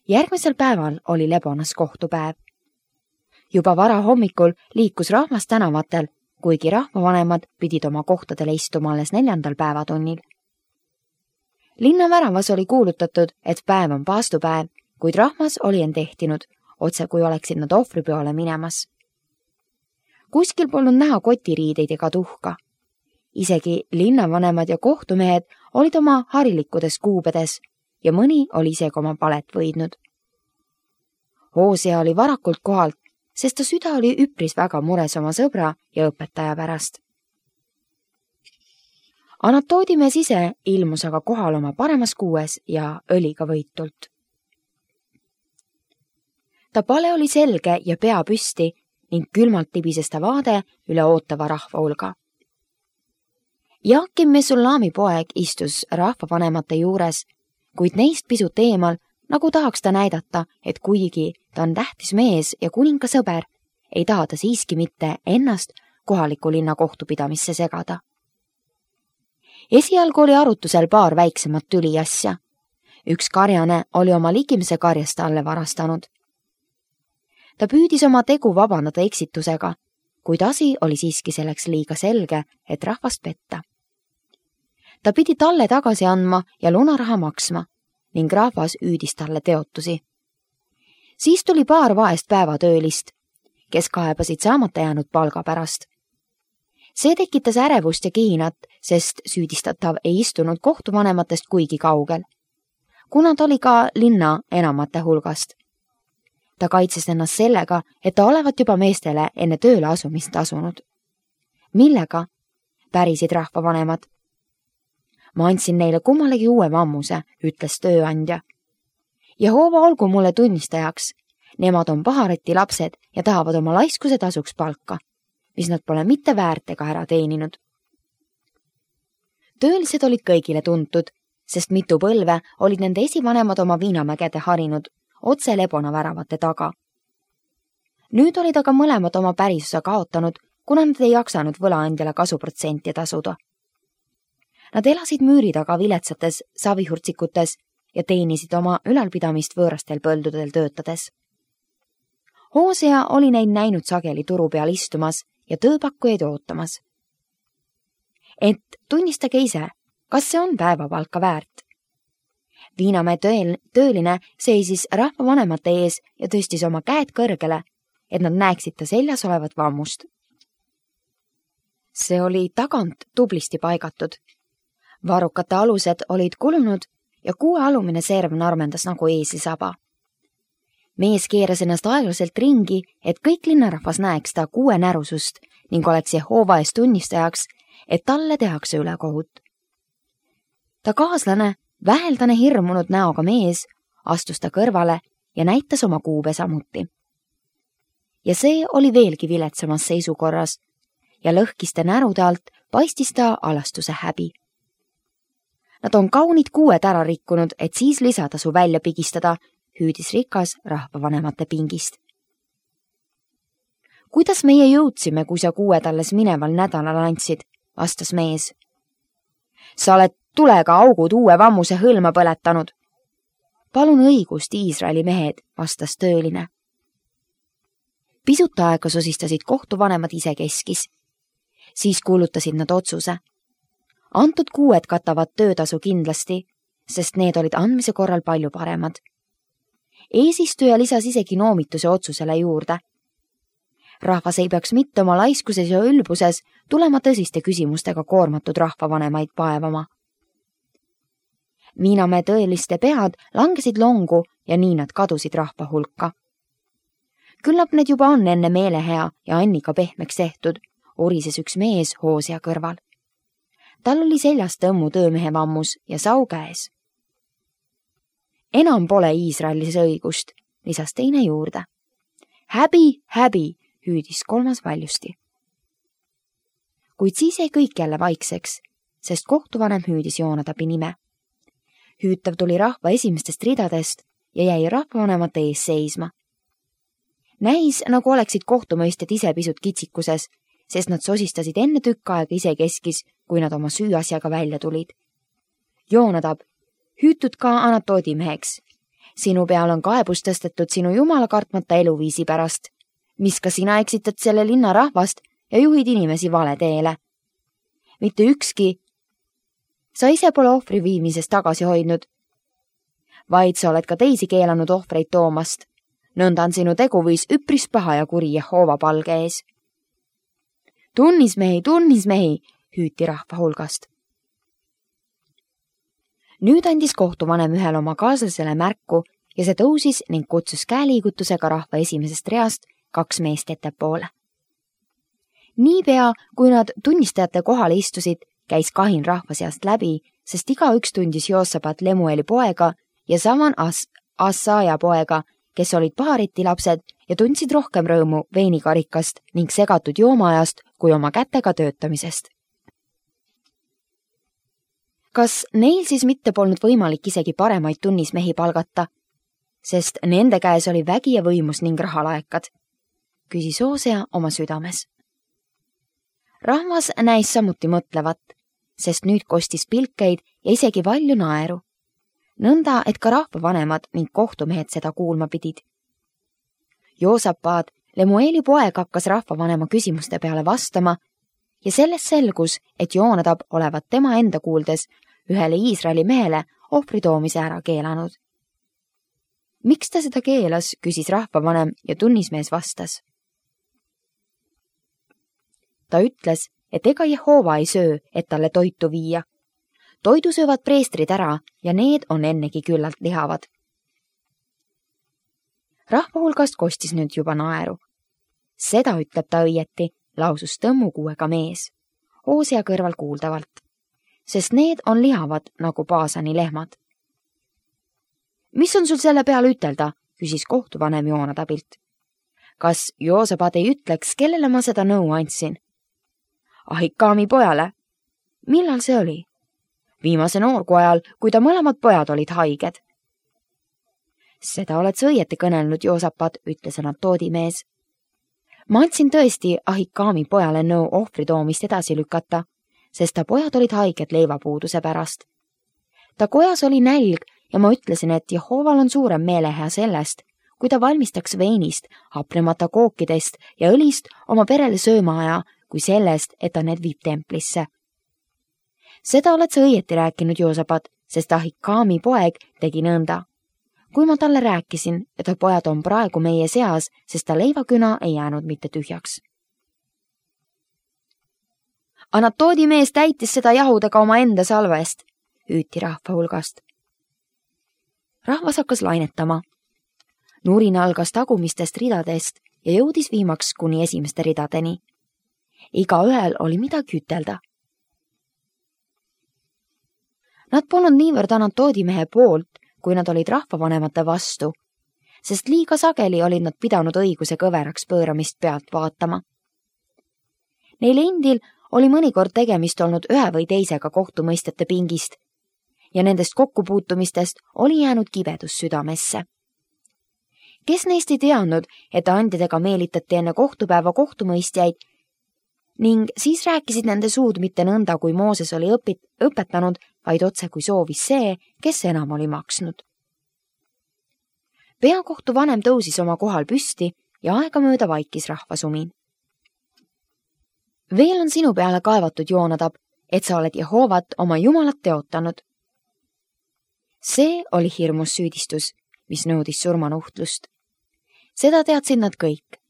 Järgmisel päeval oli Lebonas kohtupäev. Juba vara hommikul liikus rahvas tänavatel, kuigi rahvavanemad pidid oma kohtadele istuma alles 4. päevatunnil. Linnaväravas oli kuulutatud, et päev on paastupäev, kuid rahvas oli end ehtinud, otse kui oleksid nad ohvripeole minemas. Kuskil polnud näha kotiriideid ega tuhka. Isegi linnavanemad ja kohtumehed olid oma harilikkudes kuubedes ja mõni oli isegi oma palet võidnud. Hosea oli varakult kohalt, sest ta süda oli üpris väga mures oma sõbra ja õpetaja pärast. Anatoodimees ise ilmus aga kohal oma paremas kuues ja õliga võitult. Ta pale oli selge ja pea püsti ning külmalt tibises ta vaade üle ootava rahva hulga. Jaakim Mesullami poeg istus rahvavanemate juures, kuid neist pisut eemal, nagu tahaks ta näidata, et kuigi ta on tähtis mees ja kuninga sõber, ei taha ta siiski mitte ennast kohaliku linna kohtupidamisse segada. Esialgu oli arutusel paar väiksemat tüliasja. Üks karjane oli oma ligimese karjast talle varastanud. Ta püüdis oma tegu vabandada eksitusega, kuid asi oli siiski selleks liiga selge, et rahvast petta. Ta pidi talle tagasi andma ja lunaraha maksma ning rahvas üüdis talle teotusi. Siis tuli paar vaest päevatöölist, kes kaebasid saamata jäänud palga pärast. See tekitas ärevust ja kihinat, sest süüdistatav ei istunud kohtuvanematest kuigi kaugel, kuna ta oli ka linna enamate hulgast. Ta kaitses ennast sellega, et ta olevat juba meestele enne tööle asumist asunud. Millega? Pärisid rahvavanemad. Ma andsin neile kummalegi uue vammuse, ütles tööandja. Jehova olgu mulle tunnistajaks. Nemad on pahareti lapsed ja tahavad oma laiskuse tasuks palka, mis nad pole mitte väärt ega ära teeninud. Töölised olid kõigile tuntud, sest mitu põlve olid nende esivanemad oma viinamägede harinud otse Lebona väravate taga. Nüüd olid aga mõlemad oma pärisosa kaotanud, kuna nad ei jaksanud võlaandjale kasuprotsenti tasuda. Nad elasid müüri taga viletsates savihurtsikutes ja teenisid oma ülalpidamist võõrastel põldudel töötades. Hosea oli neid näinud sageli turu peal istumas ja tööpakkujaid ootamas. Et tunnistage ise, kas see on päevapalka väärt? Viinamäe tööline seisis rahvavanemate ees ja tõstis oma käed kõrgele, et nad näeksid ta seljas olevat vammust. See oli tagant tublisti paigatud. Varrukate alused olid kulunud ja kuue alumine serv narmendas nagu eeslisaba. Mees keeras ennast aeglaselt ringi, et kõik linnarahvas näeks ta kuue närusust ning oleks Jehova ees tunnistajaks, et talle tehakse ülekohut. Ta kaaslane, väheldane hirmunud näoga mees, astus ta kõrvale ja näitas oma kuube samuti. Ja see oli veelgi viletsamas seisukorras ja lõhkiste närude alt paistis ta alastuse häbi. Nad on kaunid kuued ära rikkunud, et siis lisatasu välja pigistada, hüüdis rikas rahvavanemate pingist. Kuidas meie jõudsime, kui sa kuued alles mineval nädalal andsid, vastas mees. Sa oled tulega augud uue vammuse hõlma põletanud. Palun õigust, Iisraeli mehed, vastas tööline. Pisut aega sosistasid kohtuvanemad ise keskis. Siis kuulutasid nad otsuse. Antud kuued katavad töötasu kindlasti, sest need olid andmise korral palju paremad. Eesistuja lisas isegi noomituse otsusele juurde. Rahvas ei peaks mitte oma laiskuses ja ülbuses tulema tõsiste küsimustega koormatud rahvavanemaid paevama. Viinamäe tõeliste pead langesid longu ja nii nad kadusid rahva hulka. Küllap need juba on enne meelehea ja Annika pehmeks tehtud, orises üks mees Hosea kõrval. Tal oli seljas tõmmu töömehe vammus ja sau käes. Enam pole Iisraelis õigust, lisas teine juurde. Häbi, häbi, hüüdis kolmas valjusti. Kuid siis jäi kõik jälle vaikseks, sest kohtuvanem hüüdis Joonadabi nime. Hüütav tuli rahva esimestest ridadest ja jäi rahvavanemate ees seisma. Näis, nagu oleksid kohtumõistjad ise pisut kitsikuses, sest nad sosistasid enne tükk aega ise keskis, kui nad oma süüasjaga välja tulid. Joonadab, hüütud ka Anatoodi meheks. Sinu peal on kaebus tõstetud sinu jumala kartmata eluviisi pärast, mis ka sina eksitad selle linna rahvast ja juhid inimesi vale teele. Mitte ükski, sa ise pole ohvri viimisest tagasi hoidnud, vaid sa oled ka teisi keelanud ohvreid toomast. Nõnda on sinu teguviis üpris paha ja kuri Jehova palge ees. Tunnismehi, hüüti rahva hulgast. Nüüd andis kohtuvanem ühele oma kaaslasele märku ja see tõusis ning kutsus käeliigutusega rahva esimesest reast 2 meest ettepoole. Niipea, kui nad tunnistajate kohale istusid, käis kahin rahva seast läbi, sest igaüks tundis Joosabat Lemueli poega ja Saman Assaja poega, kes olid paariti lapsed ja tundsid rohkem rõõmu veinikarikast ning segatud joomaajast kui oma kätega töötamisest. Kas neil siis mitte polnud võimalik isegi paremaid tunnismehi palgata, sest nende käes oli vägi ja võimus ning rahalaekad, küsis Hoosea oma südames. Rahvas näis samuti mõtlevat, sest nüüd kostis pilkeid ja isegi valju naeru. Nõnda, et ka rahvavanemad ning kohtumehed seda kuulma pidid. Joosapaat, Lemueli poeg, hakkas rahvavanema küsimuste peale vastama ja sellest selgus, et Joonatab olevat tema enda kuuldes ühele Iisraeli mehele ohvri toomise ära keelanud. Miks ta seda keelas, küsis rahvavanem ja tunnismees vastas. Ta ütles, et ega Jehova ei söö, et talle toitu viia. Toidu söövad preestrid ära ja need on ennegi küllalt lihavad. Rahva hulgast kostis nüüd juba naeru. Seda ütleb ta õieti, lausus tõmmukuuega mees, Hoosea kõrval kuuldavalt, sest need on lihavad nagu Baasani lehmad. Mis on sul selle peale ütelda, küsis kohtuvanem Joonatabilt. Kas Joosabad ei ütleks, kellele ma seda nõu andsin? Ahikaami pojale. Millal see oli? Viimase noorgu ajal, kui ta mõlemad pojad olid haiged. Seda oled sa õieti kõnelnud, Joosapad, ütles Anatoodi mees. Ma andsin tõesti Ahikaami pojale nõu ohvri toomist edasi lükata, sest ta pojad olid haiged leivapuuduse pärast. Ta kojas oli nälg ja ma ütlesin, et Jehoval on suurem meelehea sellest, kui ta valmistaks veinist, hapnemata kookidest ja õlist oma perele söömaaja, kui sellest, et ta need viib templisse. Seda oled sa õieti rääkinud, Joosapad, sest Ahikaami poeg tegi nõnda. Kui ma talle rääkisin, et pojad on praegu meie seas, sest ta leivaküna ei jäänud mitte tühjaks. Anatoodi mees täitis seda jahudega oma enda salvest, hüüti rahva hulgast. Rahvas hakkas lainetama. Nurin algas tagumistest ridadest ja jõudis viimaks kuni esimeste ridadeni. Igaühel oli midagi ütelda. Nad polnud niivõrd Anatoodi mehe poolt, kui nad olid rahvavanemate vastu, sest liiga sageli olid nad pidanud õiguse kõveraks pööramist pealt vaatama. Neil endil oli mõnikord tegemist olnud ühe või teisega kohtumõistjate pingist ja nendest kokkupuutumistest oli jäänud kibedus südamesse. Kes neist ei teadnud, et andjadega meelitati enne kohtupäeva kohtumõistjaid ning siis rääkisid nende suud mitte nõnda, kui Mooses oli õpetanud, vaid otse kui soovis see, kes enam oli maksnud. Peakohtu vanem tõusis oma kohal püsti ja aegamööda vaikis rahvasumin. Veel on sinu peale kaevatud, Joonatab, et sa oled Jehovat oma jumalat teotanud. See oli hirmus süüdistus, mis nõudis surmanuhtlust. Seda teadsid nad kõik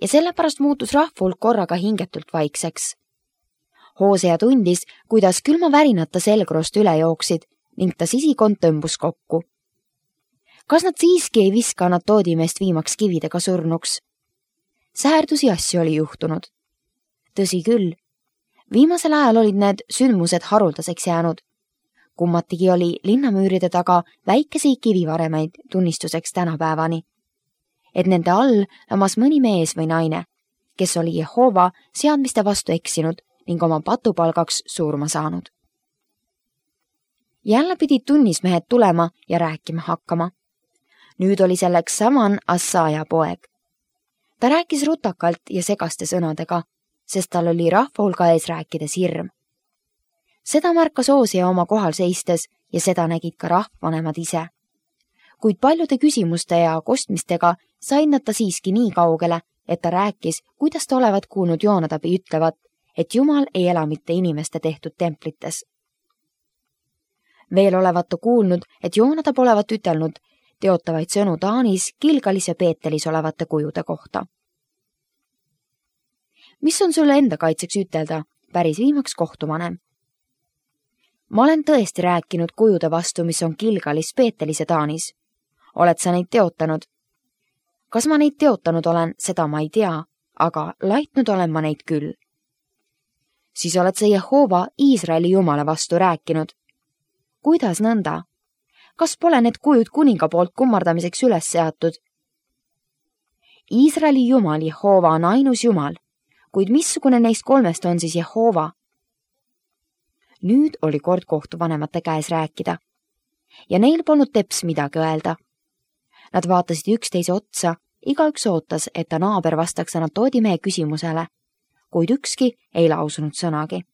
ja sellepärast muutus rahvahulk korraga hingetult vaikseks. Hoosea tundis, kuidas külma värinata selgroost üle jooksid ning ta sisikond tõmbus kokku. Kas nad siiski ei viska Anatoodi meest viimaks kividega surnuks? Säärdusi asju oli juhtunud. Tõsi küll, viimasel ajal olid need sündmused haruldaseks jäänud. Kummatigi oli linnamüüride taga väikesi kivivaremeid tunnistuseks tänapäevani, et nende all lamas mõni mees või naine, kes oli Jehova seadmiste vastu eksinud ning oma patupalgaks surma saanud. Jälle pidid tunnismehed tulema ja rääkima hakkama. Nüüd oli selleks Saman Assaja poeg. Ta rääkis rutakalt ja segaste sõnadega, sest tal oli rahvahulga ees rääkides hirm. Seda märkas Hoosea oma kohal seistes ja seda nägid ka rahvavanemad ise. kuid paljude küsimuste ja kostmistega said nad ta siiski nii kaugele, et ta rääkis, kuidas ta olevat kuulnud Joonatabi ütlevat, et Jumal ei ela mitte inimeste tehtud templites. Veel olevat ta kuulnud, et Joonatab olevat ütelnud teotavaid sõnu Taanis, Gilgalis ja Peetelis olevate kujude kohta. Mis on sulle enda kaitseks ütelda, päris viimaks kohtuvanem? Ma olen tõesti rääkinud kujude vastu, mis on Gilgalis, Peetelis ja Taanis. Oled sa neid teotanud? Kas ma neid teotanud olen, seda ma ei tea, aga laitnud olen ma neid küll. Siis oled sa Jehova, Iisraeli Jumala vastu rääkinud. Kuidas nõnda? Kas pole need kujud kuninga poolt kummardamiseks üles seatud? Iisraeli Jumal Jehova on ainus Jumal, kuid missugune neist kolmest on siis Jehova? Nüüd oli kord kohtuvanemate käes rääkida ja neil polnud teps midagi öelda. Nad vaatasid üksteise otsa, igaüks ootas, et ta naaber vastaks Anatoodi mehe küsimusele, kuid ükski ei lausunud sõnagi.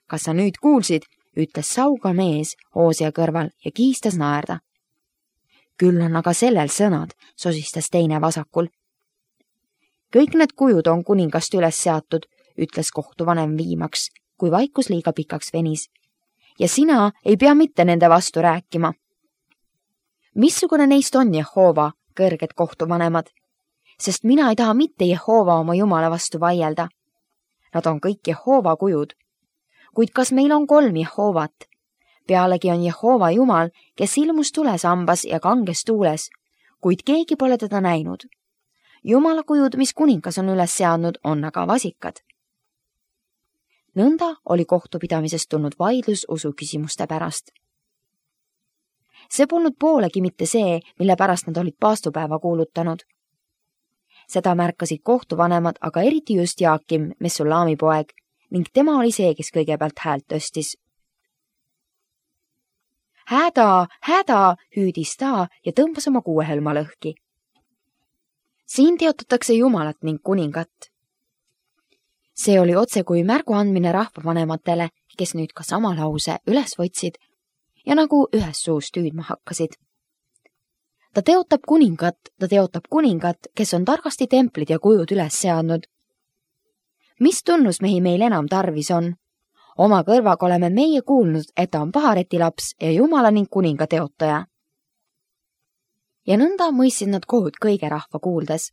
Kas sa nüüd kuulsid, ütles sauga mees Hoosia kõrval ja kihistas naerda. Küll on aga sellel sõnad, sosistas teine vasakul. Kõik need kujud on kuningast üles seatud, ütles kohtuvanem viimaks, kui vaikus liiga pikaks venis. Ja sina ei pea mitte nende vastu rääkima. Missugune neist on Jehova, kõrged kohtuvanemad? Sest mina ei taha mitte Jehova oma Jumala vastu vaielda. Nad on kõik Jehova kujud. Kuid kas meil on 3 Jehovat? Pealegi on Jehova Jumal, kes ilmus tulesambas ja kanges tuules, kuid keegi pole teda näinud. Jumala kujud, mis kuningas on üles seadnud, on aga vasikad. Nõnda oli kohtupidamisest tulnud vaidlus usuküsimuste pärast. See polnud poolegi mitte see, mille pärast nad olid paastupäeva kuulutanud. Seda märkasid kohtuvanemad, aga eriti just Jaakim, Mesulaami poeg, ning tema oli see, kes kõigepealt häält tõstis. Häda, hüüdis ta ja tõmbas oma kuuehõlma lõhki. Siin teotatakse Jumalat ning kuningat. See oli otse kui märgu andmine rahvavanematele, kes nüüd ka sama lause üles võtsid ja nagu ühes suust hüüdma hakkasid. Ta teotab kuningat, kes on targasti templid ja kujud üles seadnud. Mis tunnusmehi meil enam tarvis on? Oma kõrvaga oleme meie kuulnud, et ta on pahareti laps ja Jumala ning kuninga teotaja. Ja nõnda mõistsid nad kohut kõige rahva kuuldes.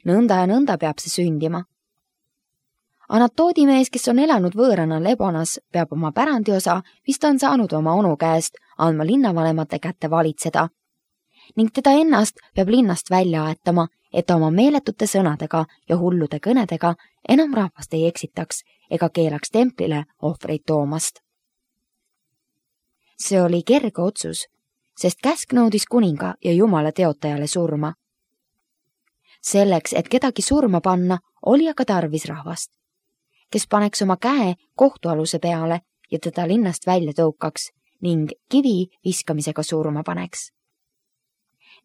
Nõnda ja nõnda peab see sündima. Anatoodi mees, kes on elanud võõrana Lebonas, peab oma pärandiosa, mis ta on saanud oma onu käest, andma linnavanemate kätte valitseda. Ning teda ennast peab linnast välja aetama, et ta oma meeletute sõnadega ja hullude kõnedega enam rahvast ei eksitaks ega keelaks templile ohvreid toomast. See oli kerge otsus, sest käsk nõudis kuninga ja Jumala teotajale surma. Selleks, et kedagi surma panna, oli aga tarvis rahvast, kes paneks oma käe kohtualuse peale ja teda linnast välja tõukaks ning kivi viskamisega surma paneks.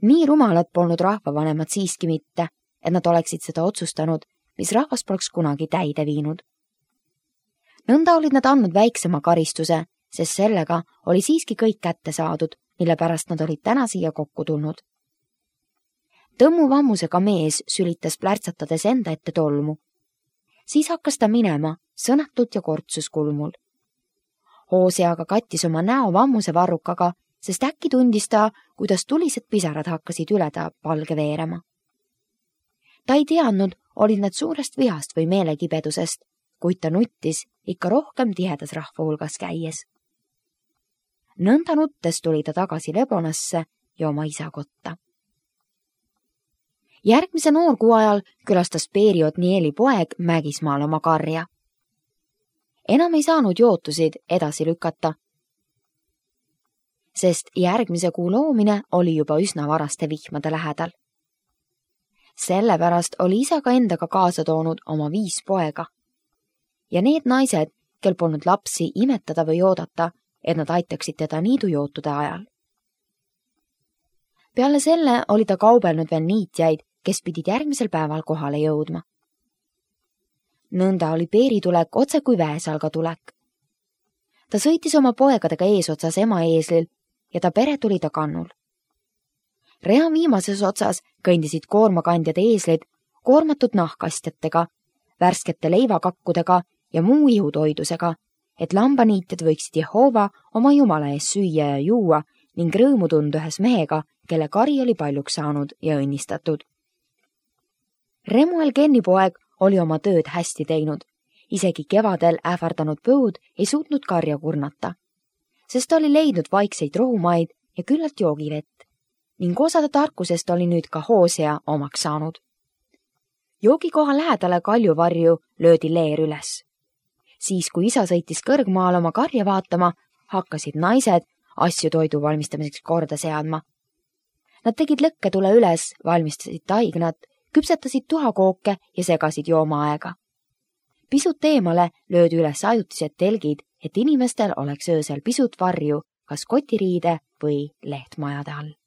Nii rumalad polnud rahvavanemad siiski mitte, et nad oleksid seda otsustanud, mis rahvas poleks kunagi täide viinud. Nõnda olid nad andnud väiksema karistuse, sest sellega oli siiski kõik kätte saadud, mille pärast nad olid täna siia kokku tulnud. Tõmmuvammusega mees sülitas plärtsatades enda ette tolmu. Siis hakkas ta minema, sõnatult ja kortsus kulmul. Hoosia aga kattis oma näo vammuse varrukaga, sest äkki tundis ta, kuidas tulised pisarad hakkasid üle ta palge veerema. Ta ei teadnud, olid nad suurest vihast või meelekibedusest, kuid ta nuttis ikka rohkem tihedas rahva hulgas käies. Nõnda nuttes tuli ta tagasi Lebonasse ja oma isa kotta. Järgmise noorkuu ajal külastas Peeri Otnieli poeg Mägismaal oma karja. Enam ei saanud jootusid edasi lükata, sest järgmise kuu loomine oli juba üsna varaste vihmade lähedal. Sellepärast oli isa ka endaga kaasa toonud oma 5 poega. Ja need naised, kel polnud lapsi imetada või oodata, et nad aitaksid teda niidujootude ajal. Peale selle oli ta kaubelnud veel niitjaid, kes pidid järgmisel päeval kohale jõudma. Nõnda oli Peeri tulek otse kui väesalga tulek. Ta sõitis oma poegadega eesotsas ema eeslil ja ta pere tuli ta kannul. rea viimases otsas kõndisid koormakandjad eeslid koormatud nahkastjatega, värskete leivakakkudega ja muu ihutoidusega, et lambaniitjad võiksid Jehoova oma Jumala ees süüa ja juua ning rõõmu tunda ühes mehega, kelle kari oli paljuks saanud ja õnnistatud. Remuel Kenni poeg oli oma tööd hästi teinud. Isegi kevadel ähvardanud põud ei suutnud karja kurnata, sest ta oli leidnud vaikseid rohumaid ja küllalt joogivett ning osade tarkusest oli nüüd ka Hoosea omaks saanud. Joogikoha lähedale kaljuvarju löödi leer üles. Siis, kui isa sõitis kõrgmaal oma karja vaatama, hakkasid naised asju toidu valmistamiseks korda seadma. Nad tegid lõkketule üles, valmistasid taignat, küpsetasid tuhakooke ja segasid joomaaega. Pisut eemale löödi üles ajutised telgid, et inimestel oleks öösel pisut varju, kas kotiriide või lehtmajade all.